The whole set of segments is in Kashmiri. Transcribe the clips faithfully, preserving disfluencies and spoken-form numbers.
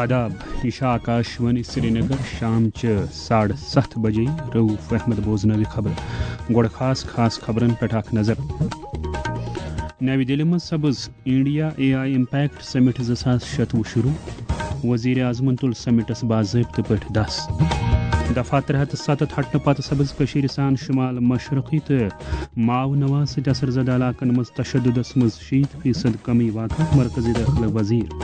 آداب، یہِ چھِ آکاشوانی سرینگر، شام چہِ ساڑٕ ستھ بجے۔ رؤف احمد بوزنٲوِ خبرٕ۔ گۄڈٕ خاص خاص خبرن پٮ۪ٹھ اکھ نظر۔ نَوِ دِلہِ منٛز سپٕز انڈیا اے آئی امپیکٹ سمٹ زٕ ساس شتوُہ شروع۔ وزیر اعظمن تُل سمٹس باضٲبطہٕ پٲٹھۍ دس۔ دفعہ ترٛےٚ ہتھ تہٕ ستتھ ہٹنہٕ پتہٕ سپٕز کٔشیٖرِ سان شمال مشرقی تہٕ ماو نواز سۭتۍ اثر زدہ علاقن منٛز تشددس منٛز شیٖتھ فیصد کمی واقع، مرکزی دٲخلہٕ وزیر۔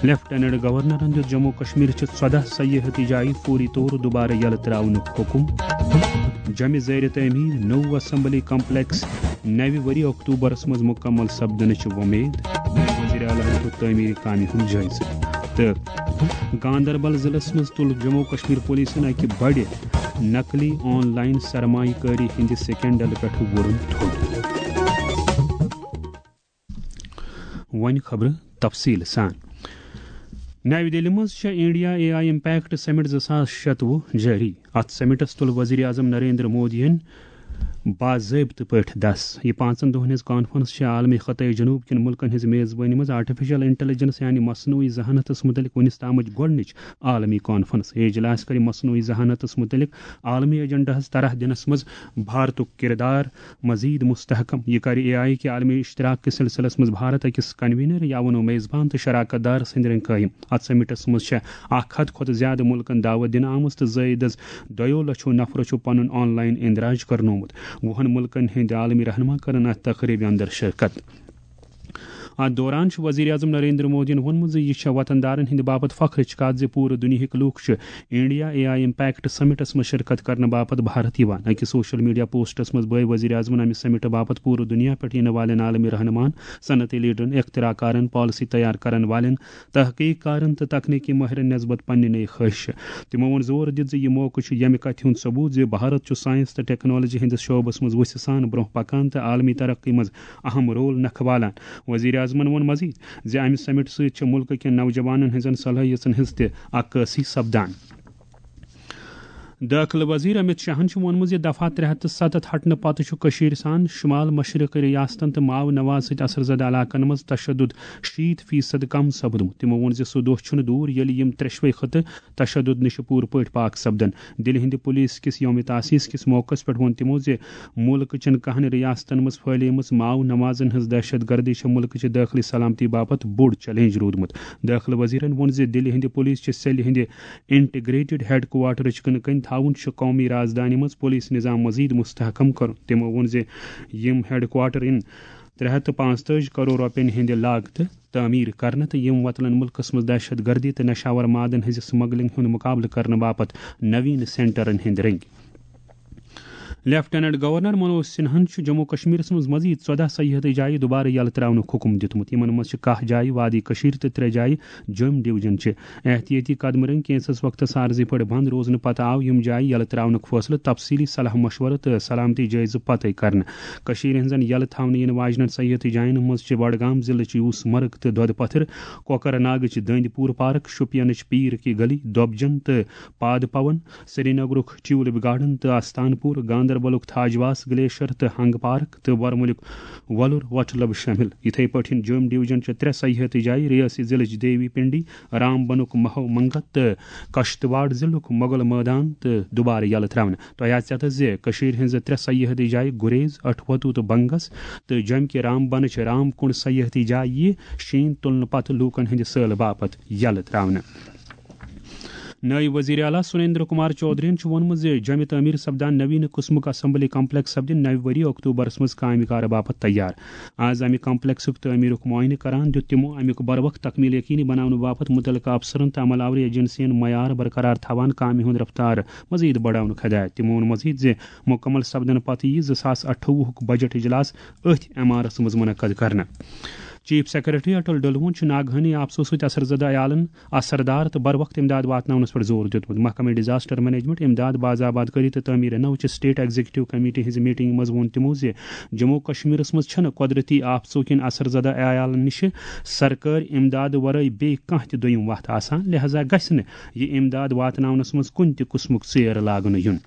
لیفٹیننٹ گورنرن دیُت جموں کشمیر چہِ ژۄدہ سیاحتی جایہِ فوری طور دوبارٕ یلہٕ تراونُک حکم۔ جمہِ زیر تعمیٖر نوٚو اسمبلی کمپلیکس نوِ ؤری اکتوبرس منٛز مکمل سپدنٕچ وۄمید۔ وزیر اعلیٰ ہن تُل تعمیٖری کامہِ ہُنٛد جٲیزٕ۔ تہٕ گاندربل ضلعس منٛز تُل جموں کشمیر پولیسن اکہِ بڑِ نقلی آن لائن سرمایہ کٲری ہٕنٛدِ سکینڈل پٮ۪ٹھ وُرُن تھوٚد۔ وۄنۍ خبرٕ تفصیٖل سان۔ نَوِ دِلہِ منٛز چھےٚ انڈیا اے آئی امپیکٹ سمٹ زٕ ساس شتوُہ جٲری۔ اتھ سمٹس تُل وزیر اعظم نریندر مودیَن باضٲبطہٕ پٲٹھۍ دس۔ یہِ پانٛژن دۄہن ہٕنٛز کانفرنس چھےٚ عالمی خطے جنوب کٮ۪ن مُلکن ہٕنٛز میزبٲنی منٛز آرٹیفیشل انٹیلیجنس یعنی مصنوعی ذہانتس متعلق وُنِس تامٕچ گۄڈٕنِچ عالمی کانفرنس۔ یہِ اجلاس کرِ مصنوعی ذہانتس متعلق عالمی ایجنڈاہس طرح دِنس منٛز بھارتُک کردار مزید مستحکم۔ یہِ کرِ اے آئی کے عالمی اشتراک کِس سلسلس منٛز بھارت أکِس کنوینر یا ونو میزبان تہٕ شراکت دار سٕنٛدۍ رٔنٛگۍ قٲیِم۔ اتھ سمٹس منٛز چھےٚ اکھ ہتھ کھۄتہٕ زیادٕ مُلکن دعوت دِنہٕ آمٕژ تہٕ زٲیدس دۄیو لچھو نفرو چھُ پنُن آن لائن اندراج کرنومُت۔ وُہن مُلکن ہٕنٛدۍ عالمی رہنما کرن اتھ تقریبہِ اندر شرکت۔ اتھ دوران چھُ وزیر اعظم نریندر مودیَن ووٚنمُت زِ یہِ چھےٚ وطن دارن ہٕنٛدِ باپتھ فخرٕچ کتھ زِ پوٗرٕ دُنیاہٕکۍ لوٗکھ چھِ India A I impact summits منٛز شرکت کرنہٕ باپتھ بھارت یِوان۔ أکِس سوشل میڈیا پوسٹس منٛز بٲوۍ وزیر اعظمن امہِ سمٹہٕ باپتھ پوٗرٕ دُنیا پٮ۪ٹھ یِنہٕ والٮ۪ن عالمی رہنماہن، صنعتی لیڈرن، اختراع کارن، پالیسی تیار کرن والٮ۪ن، تحقیق کارن تہٕ تکنیکی ماہرن نسبت پننہِ نٔے خٲہشہٕ۔ تِمو ووٚن زور دِتھ زِ یہِ موقعہٕ چھُ ییٚمہِ کتھِ ہُنٛد ثبوت زِ بھارت چھُ سائنس تہٕ ٹیکنالوجی ہٕنٛدِس شعبس منٛز وُژھِ سان برٛونٛہہ پکان تہٕ عالمی ترقی منٛز اہم رول نکھٕ والان۔ وزیر اعظمن ووٚن مزید زِ امہِ سمٹ سۭتۍ چھِ مُلکہٕ کٮ۪ن نوجوانن ہٕنٛزن صلٲحیژن ہٕنٛز تہِ عکٲسی سپدان۔ دٲخلہٕ وزیر امت شاہن چھُ ووٚنمُت زِ دفعہ ترٛےٚ ہتھ تہٕ ستتھ ہٹنہٕ پتہٕ چھُ کٔشیٖر سان شمال مشرقی ریاستن تہٕ ماو نواز سۭتۍ اثر زدہ علاقن منٛز تشدد شیٖتھ فیصد کم سپدمُت۔ تِمو ووٚن زِ سُہ دۄہ چھُنہٕ دوٗر ییٚلہِ یِم ترٛیشوے خطہٕ تشدد نِش پوٗرٕ پٲٹھۍ پاک سپدن۔ دِلہِ ہٕنٛدِ پُلیٖس کِس یومِ تاسیس کِس موقعس پٮ۪ٹھ ووٚن تِمو زِ مُلکہٕ چٮ۪ن کہن ریاستن منٛز پھٲلیمٕژ ماو نوازن ہٕنٛز دہشت گردی چھےٚ مُلکہٕ چہِ دٲخلی سلامتی باپتھ بوٚڑ چیلنج روٗدمُت۔ دٲخلہٕ وزیرن ووٚن زِ دِلہِ ہٕنٛدِ پُلیٖس چہِ سیلہِ ہٕنٛدِ انٹیگریٹڈ ہیڈ کوارٹرٕچ کٕنہٕ کَنۍ تھاوُن چھُ قومی رازدانہِ منٛز پُلیٖس نظام مزید مستحکم کرُن۔ تِمو ووٚن زِ یِم ہیڈ کوارٹر یِن ترٛےٚ ہتھ تہٕ پانٛژتٲجی کرور رۄپین ہٕنٛدِ لاگتہٕ تعمیٖر کرنہٕ تہٕ یِم وۄتلن مُلکس منٛز دہشت گردی تہٕ نشاور مادن ہٕنٛزِ سمگلنگ ہُنٛد مقابلہٕ کرنہٕ باپتھ نوین سینٹرن ہٕنٛدۍ رٔنگۍ۔ لیفٹیننٹ گورنر منوج سنہاہن چھُ جموں کشمیرس منٛز مزید ژۄدہ سیاحتی جایہِ دوبارٕ یلہٕ تراونُک حکم دِیُتمُت۔ یِمن منٛز چھِ کاہ جایہِ وادی کشیر تہٕ ترٛےٚ جایہِ جوٚم ڈویژن چھِ۔ احتیاطی قدمہٕ رٔنگۍ کینٛژس وقتس عارضی پٲٹھۍ بند روزنہٕ پتہٕ آو یِم جایہِ یلہٕ تراونُک فٲصلہٕ تفصیلی صلاح مشورٕ تہٕ سلامتی جٲیزٕ پتے کرنہٕ۔ کٔشیٖرِ ہٕنٛزن یلہٕ تھاونہٕ یِنہٕ واجنٮ۪ن سیاحتی جاین منٛز چھِ بڈگام ضلعٕچ یوٗس مرگ تہٕ دۄدٕ پتھر، کۄکرناگٕچ دٔنٛدۍ پوٗر پارک، شوپینٕچ پیٖر کی گلی، دۄبجن تہٕ پاد پون، سرینگرُک ٹیولپ گارڈن تہٕ استان پور، گاندربلُک تھاجواس گلیشر تہٕ ہنگ پارک تہٕ ورمُلُک وۄلُر وٹلب شٲمِل۔ یِتھے پٲٹھۍ جوٚم ڈویژن چہِ ترٛےٚ سیاحتی جایہِ، ریاسی ضلعٕچ دیوی پنڈی، رامبنُک مہو منگت تہٕ کشتواڑ ضلعُک مغل مٲدان تہٕ دُبارٕ یلہٕ ترٛاونہٕ۔ تۄہہِ آسہِ یتھ زِ کٔشیٖرِ ہٕنٛزٕ ترٛےٚ سیاحتی جایہِ گُریز، اٹھ وتو تہٕ بنگس تہٕ جوٚمہِ کہِ رامبنٕچ رام کُنڈ سیاحتی جاے یِیہِ شیٖن تُلنہٕ پتہٕ لوٗکن ہٕنٛدِ سٲلہٕ باپتھ یلہٕ ترٛاونہٕ۔ نٲیِب وزیر اعلیٰ سریندر کمار چودھرین چھُ ووٚنمُت زِ جوٚمہِ تعمیٖر سپدان نویٖن قٕسمُک اسمبلی کمپلیکس سپدِ نوِ ؤری اکتوبرس منٛز کامہِ کارٕ باپتھ تیار۔ آز امہِ کمپلیکسُک تعمیٖرُک معائنہٕ کران دیُت تِمو امیُک بروقت تکمیل یقینی بناونہٕ باپتھ مُتعلقہٕ افسرن تہٕ عمل آوری ایجنسین معیار برقرار تھاوان کامہِ ہُنٛد رفتار مزید بڑاونُک ہدایت۔ تِمو ووٚن مزید زِ مُکمل سپدنہٕ پتہٕ یِیہِ زٕ ساس اَٹھووُہُک بجٹ اجلاس أتھۍ عمارس منٛز منعقد کرنہٕ۔ چیف سیکرٹری اٹل ڈلوُن چھُ ناگہٲنی آپژو سۭتۍ اثر زدہ عیالن اثردار تہٕ بروقت امداد واتناونس پٮ۪ٹھ زور دیُتمُت۔ محکمہ ڈیزاسٹر مینجمنٹ، امداد، باز آباد کٲری تہٕ تعمیٖر نو چہِ سٹیٹ ایگزیکٹو کمیٹی ہٕنٛزِ میٹنگ منٛز ووٚن تِمو زِ جموں و کشمیرس منٛز چھَنہٕ قۄدرتی آپژو کِنۍ اثر زدہ عیالن نِش سرکٲرۍ امداد ورٲے بیٚیہِ کانٛہہ تہِ دوٚیِم وتھ آسان، لہذا گژھِ نہٕ یہِ امداد واتناونس منٛز کُنہِ تہِ قٕسمُک ژیر لاگنہٕ یُن۔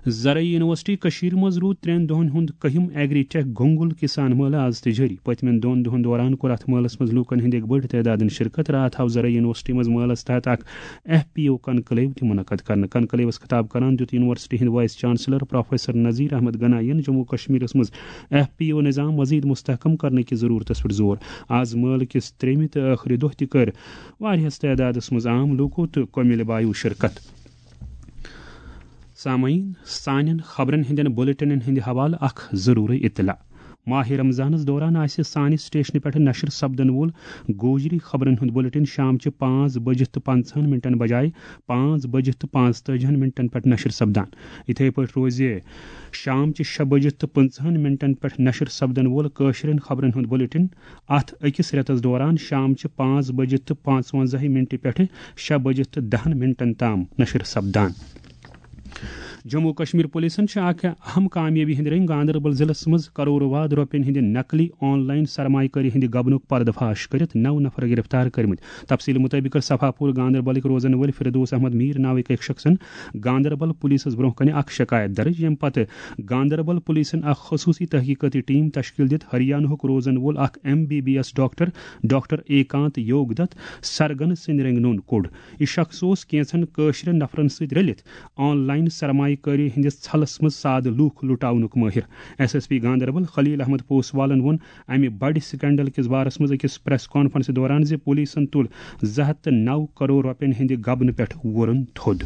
زرعی یونیورسٹی کٔشیٖر منٛز روٗد ترٛٮ۪ن دۄہَن ہُنٛد کٔہِم ایگری ٹیک گنگل کسان مٲلہٕ آز تہِ جٲری۔ پٔتمٮ۪ن دۄن دۄہَن دوران کوٚر اَتھ مٲلَس منٛز لوٗکَن ہٕنٛدِ اَکہِ بٔڑِ تعدادَن شرکت۔ راتھ آو زرعی یونیورسٹی منٛز مٲلَس تحت اکھ ایف پی او کنکلیو تہِ منعقد کرنہٕ۔ کنکلیوَس خطاب کران دیُت یونیورسٹی ہٕنٛدۍ vice chancellor professor Nazir Ahmad Ganai یَن جموں کشمیرَس منٛز ایف پی او نظام مزید مستحکم کرنہٕ کِس ضروٗرتَس پٮ۪ٹھ زور۔ آز مٲلہٕ کِس ترٛیٚیمہِ تہٕ ٲخری دۄہ تہِ کٔر واریاہَس تعدادَس منٛز عام لوٗکو تہٕ کۄمِلۍ بایو شرکت۔ سامعین، سانٮ۪ن خبرن ہٕنٛدٮ۪ن بُلٹنن ہٕنٛدِ حوالہٕ اکھ ضروٗری اطلاع۔ ماہِ رمضانس دوران آسہِ سانہِ سٹیشنہٕ پٮ۪ٹھ نشر سپدن وول گوجری خبرن ہُنٛد بُلٹن شام چہِ پانٛژھ بجہِ تہٕ پنٛژاہن منٹن بجایہِ پانٛژھ بجہِ تہٕ پانٛژتٲجِہن منٹن پٮ۪ٹھ نشر سپدان۔ یِتھے پٲٹھۍ روزِ شام چہِ شےٚ بجہِ تہٕ پنٛژاہن منٹن پٮ۪ٹھ نشر سپدن وول کٲشرٮ۪ن خبرن ہُنٛد بُلٹن اتھ أکِس رٮ۪تس دوران شام چہِ پانٛژھ بجہِ تہٕ پانٛژونٛزاہ منٹہِ پٮ۪ٹھٕ شےٚ بجہِ تہٕ دَہن منٹن تام نشر سپدان۔ جموں کشمیر پولیسن چھِ اکھ اہم کامیٲبی ہٕنٛدۍ رٔنگۍ گاندربل ضلعس منٛز کرور واد رۄپین ہٕنٛدِ نقلی آن لائن سرمایہ کٲری ہٕنٛدِ گبنُک پردٕ فاش کٔرِتھ نو نفر گرفتار کٔرمٕتۍ۔ تفصیل مطٲبق کٔر صفا پور گاندربلٕکۍ روزن وٲلۍ فردوس احمد میر ناوٕکۍ أکۍ شخصن گاندربل پولیسس برونٛہہ کنہِ اکھ شکایت درج، ییٚمہِ پتہٕ گاندربل پولیسن اکھ خصوٗصی تحقیقٲتی ٹیم تشکیل دِتھ ہریانہُک روزن وول اکھ M B B S doctor, doctor A Kant Yog Dutt سرگن سٕنٛدۍ رنگنون کوٚڑ۔ یہِ شخص اوس کینٛژن کٲشرٮ۪ن نفرن سۭتۍ رٔلِتھ آن لائن سرمایہ کٲری ہٕنٛدِس ژھلس منٛز سادٕ لوٗکھ لُٹاونُک مٲہِر۔ ایس ایس پی گاندربل خلیل احمد پوسوالن ووٚن امہِ بڑِ سکینڈل کِس بارس منٛز أکِس پریس کانفرنسہِ دوران زِ پولیسن تُل زٕ ہتھ تہٕ نو کرور رۄپین ہٕنٛدِ گبنہٕ پٮ۪ٹھ وُرُن تھوٚد۔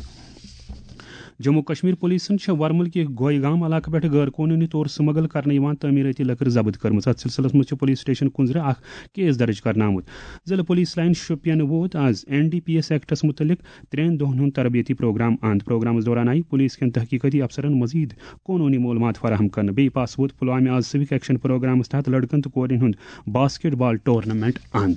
جموں کشمیر پولیسن چھےٚ ورمل کہِ گویگام علاقہٕ پٮ۪ٹھ غٲر قونوٗنی طور سمگل کرنہٕ یِوان تعمیٖرٲتی لٔکٕر ضبط کٔرمٕژ۔ اتھ سلسلس منٛز چھُ پولیس سٹیشن کُنزرٕ اکھ کیس درج کرنہٕ آمُت۔ ضلع پولیس لائن شوپین ووت آز این ڈی پی ایس ایکٹس متعلق ترٛٮ۪ن دۄہن ہُنٛد تربیتی پروگرام اند۔ پروگرامس دوران آیہِ پولیس کٮ۪ن تحقیقاتی افسرن مزید قونوٗنی معلومات فراہم کرنہٕ۔ بیٚیہِ پاس ووت پلوامہِ آز سوک ایکشن پروگرامس تحت لڑکن تہٕ کورٮ۪ن ہُنٛد باسکٹ بال ٹورنامنٹ اند۔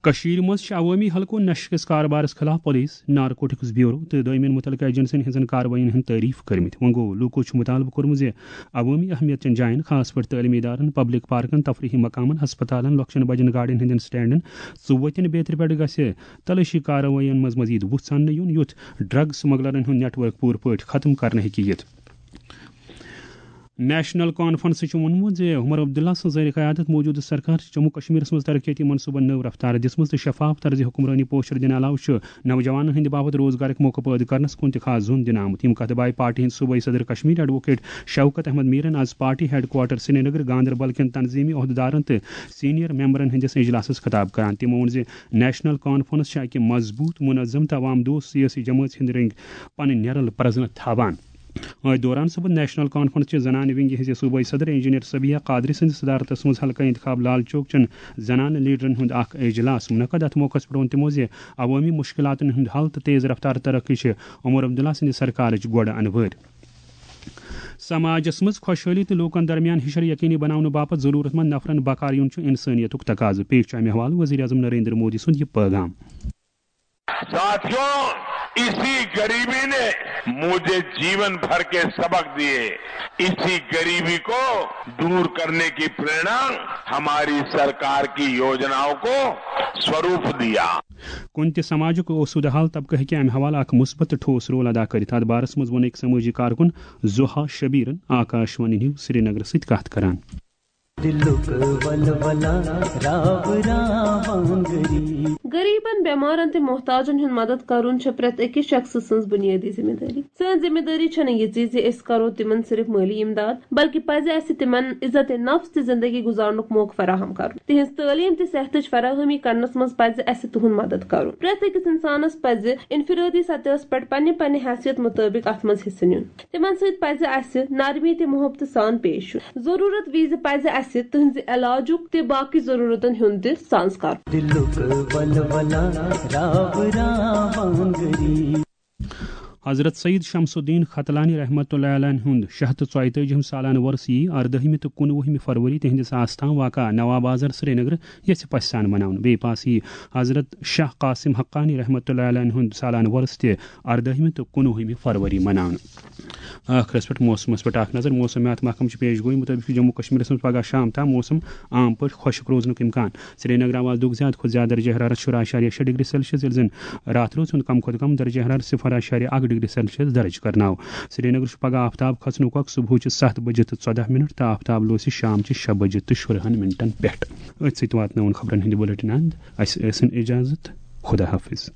کٔشیٖرِ منٛز چھِ عوٲمی حلقو نشہٕ کِس کاربارس خلاف پولیس، نارکوٹکس بیورو تہٕ دوٚیمٮ۪ن متعلقہٕ ایجنسین ہٕنٛزن کاروٲیین ہُنٛد تعریف کٔرمٕتۍ۔ وۄنۍ گوٚو، لوٗکو چھُ مطالبہٕ کوٚرمُت زِ عوٲمی اہمیت چٮ۪ن جاین، خاص پٲٹھۍ تعلیمی ادارن، پبلک پارکن، تفریحی مقامن، ہسپتالن، لۄکچٮ۪ن بجن گاڑٮ۪ن ہٕنٛدٮ۪ن سٹینڈن، ژُوتٮ۪ن بیترِ پٮ۪ٹھ گژھِ تلٲشی کاروٲیین منٛز مزید وُژھ ژھاننہٕ یُن، یُتھ ڈرگ سمگلرن ہُنٛد نیٹ ورک پوٗرٕ پٲٹھۍ ختم کرنہٕ ہیٚکہِ یِتھ۔ نیشنل کانفرنسہٕ چھُ ووٚنمُت زِ عمر عبداللہ سٕنٛز زیر قیادت موجودٕ سرکار چھِ جموں کشمیرس منٛز ترقیتی منصوبن نٔو رفتار دِژمٕژ تہٕ شفاف طرزِ حکمرٲنی پوسچر دِنہٕ علاوٕ چھُ نوجوانن ہٕنٛدِ باپتھ روزگارٕکۍ موقعہٕ پٲدٕ کرنس کُن تہِ خاص زون دِنہٕ آمُت۔ ییٚمہِ کتھٕ بایہِ پارٹی ہٕنٛدۍ صوبٲئی صدر کشمیر ایڈووکیٹ شوکت احمد میرن آز party headquarter Srinagar Ganderbal کٮ۪ن تنظیمی عہدٕدارن تہٕ سینئر ممبرن ہٕنٛدِس اجلاسس خطاب کران۔ تِمو ووٚن زِ نیشنل کانفرنس چھِ اکہِ مضبوط، منظم تہٕ عوام دوست سیٲسی جمٲژ ہٕنٛدۍ رٔنگۍ پنٕنۍ نیرل پرزنہٕ تھاوان۔ أتھۍ دوران سپُد نیشنل کانفرنس چہِ زنانہٕ ونگہِ ہٕنٛزِ صوبٲئی صدر انجینئر صبیحہ قادری سٕنٛدِ صدارتس منٛز حلقہٕ انتخاب لال چوک چٮ۪ن زنانہٕ لیڈرن ہُنٛد اکھ اجلاس منعقد۔ اتھ موقعس پٮ۪ٹھ ووٚن تِمو زِ عوٲمی مشکلاتن ہُنٛد حل تہٕ تیز رفتار ترقی چھِ عمر عبداللہ سٕنٛدِ سرکارٕچ گۄڈٕ انوٲرۍ۔ سماجس منٛز خۄشحٲلی تہٕ لوٗکن درمیان ہِشر یقینی بناونہٕ باپتھ ضروٗرت مند نفرن بکار یُن چھُ انسٲنیتُک تقاضہٕ۔ پیش چھُ امہِ حوالہٕ وزیر اعظم نریندر مودی سُنٛد یہِ پٲغام۔ साथियों, इसी गरीबी ने मुझे जीवन भर के सबक दिए। इसी गरीबी को दूर करने की प्रेरणा हमारी सरकार की योजनाओं को स्वरूप दिया। کُنہِ تہِ سماجُک اوسوٗدٕ حال طبقہٕ ہیٚکہِ امہِ حوالہٕ اکھ مثبت تہٕ ٹھوس رول ادا کٔرِتھ۔ اتھ بارس منٛز ووٚن أکۍ سمٲجی کارکُن زوہا شبیرن آکاشوانی نیوز سرینگرس سۭتۍ کتھ کران۔ دِلُک ولولہ راو راوان غریب۔ غریبن، بیمارن تہٕ محتاجن ہُنٛد مدد کرُن چھےٚ پرٛٮ۪تھ أکِس شخصہٕ سٕنٛز بُنیٲدی ذمہٕ دٲری۔ سٲنۍ ذمہٕ دٲری چھنہٕ یِژٕے زِ أسۍ کرو تِمن صرف مٲلی امداد، بلکہِ پزِ اسہِ تِمن عزت نفس تہٕ زندگی گُزارنُک موقعہٕ فراہم کرُن۔ تِہنٛز تعلیٖم تہٕ صحتٕچ فراہمی کرنس منٛز پزِ اسہِ تِہُنٛد مدد کرُن۔ پرٛٮ۪تھ أکِس انسانس پزِ انفرٲدی سطحس پٮ۪ٹھ پننہِ پننہِ حیثیت مُطٲبق اتھ منٛز حصہٕ نیُن۔ تِمن سۭتۍ پزِ اسہِ نرمی تہٕ محبتہٕ سان پیش یُن۔ ضروٗرت وِزِ پزِ اسہِ تِہنٛزِ علاجُک تہٕ باقٕے ضروٗرتن ہُنٛد تہِ سانٛز کرُن۔ دِلُک ولولہ راو راوان غریب۔ حضرت سید شمس الدین ختلانی رحمتہ اللہ علیہ ہُنٛد شیٚے ہتھ تہٕ ژۄیتٲجِہِم سالانہٕ وۄرُس یِیہِ اَردٲہِمہِ تہٕ کُنوُہمہِ فروری تِہنٛدِس آستان واقع نواب بازار سرینگر یژھِ پژھِ سان مناونہٕ۔ بیٚیہِ پاس یِیہِ حضرت شاہ قاسم حقانی رحمتہ اللہ علیہ ہُنٛد سالانہٕ وۄرُس تہِ اَردٲہِمہِ تہٕ کُنوُہمہِ فروری مناونہٕ۔ ٲخرس پٮ۪ٹھ موسمس پٮ۪ٹھ اکھ نظر۔ موسمیات محکمہٕ چھِ پیش گویی مُطٲبِق چھُ جموں کشمیرس منٛز پگاہ شام تام موسم عام پٲٹھۍ خۄشک روزنُک امکان۔ سرینگرس آواز دُکھ زیادٕ کھۄتہٕ زیادٕ درجہ حرارت شُراہ اَشاریہ شےٚ ڈگری سیلسیس، ییٚلہِ زن راتھ روز ہُنٛد کم کھۄتہٕ کم درجہ حرارت صفر اَشاریہ اکھ ڈگری سیلسیس درج کرناو۔ سرینگر چھُ پگاہ آفتاب کھسنُک وقت صبحٕچہِ ستھ بجہِ تہٕ ژۄدہ منٹ تہٕ آفتاب لوسہِ شامچہِ شےٚ بجہِ تہٕ شُرہن منٹن پٮ۪ٹھ۔ أتھۍ سۭتۍ واتناوُن خبرن ہٕنٛدِ بُلٹن اند۔ اسہِ ٲسِن اجازت۔ خدا حافظ۔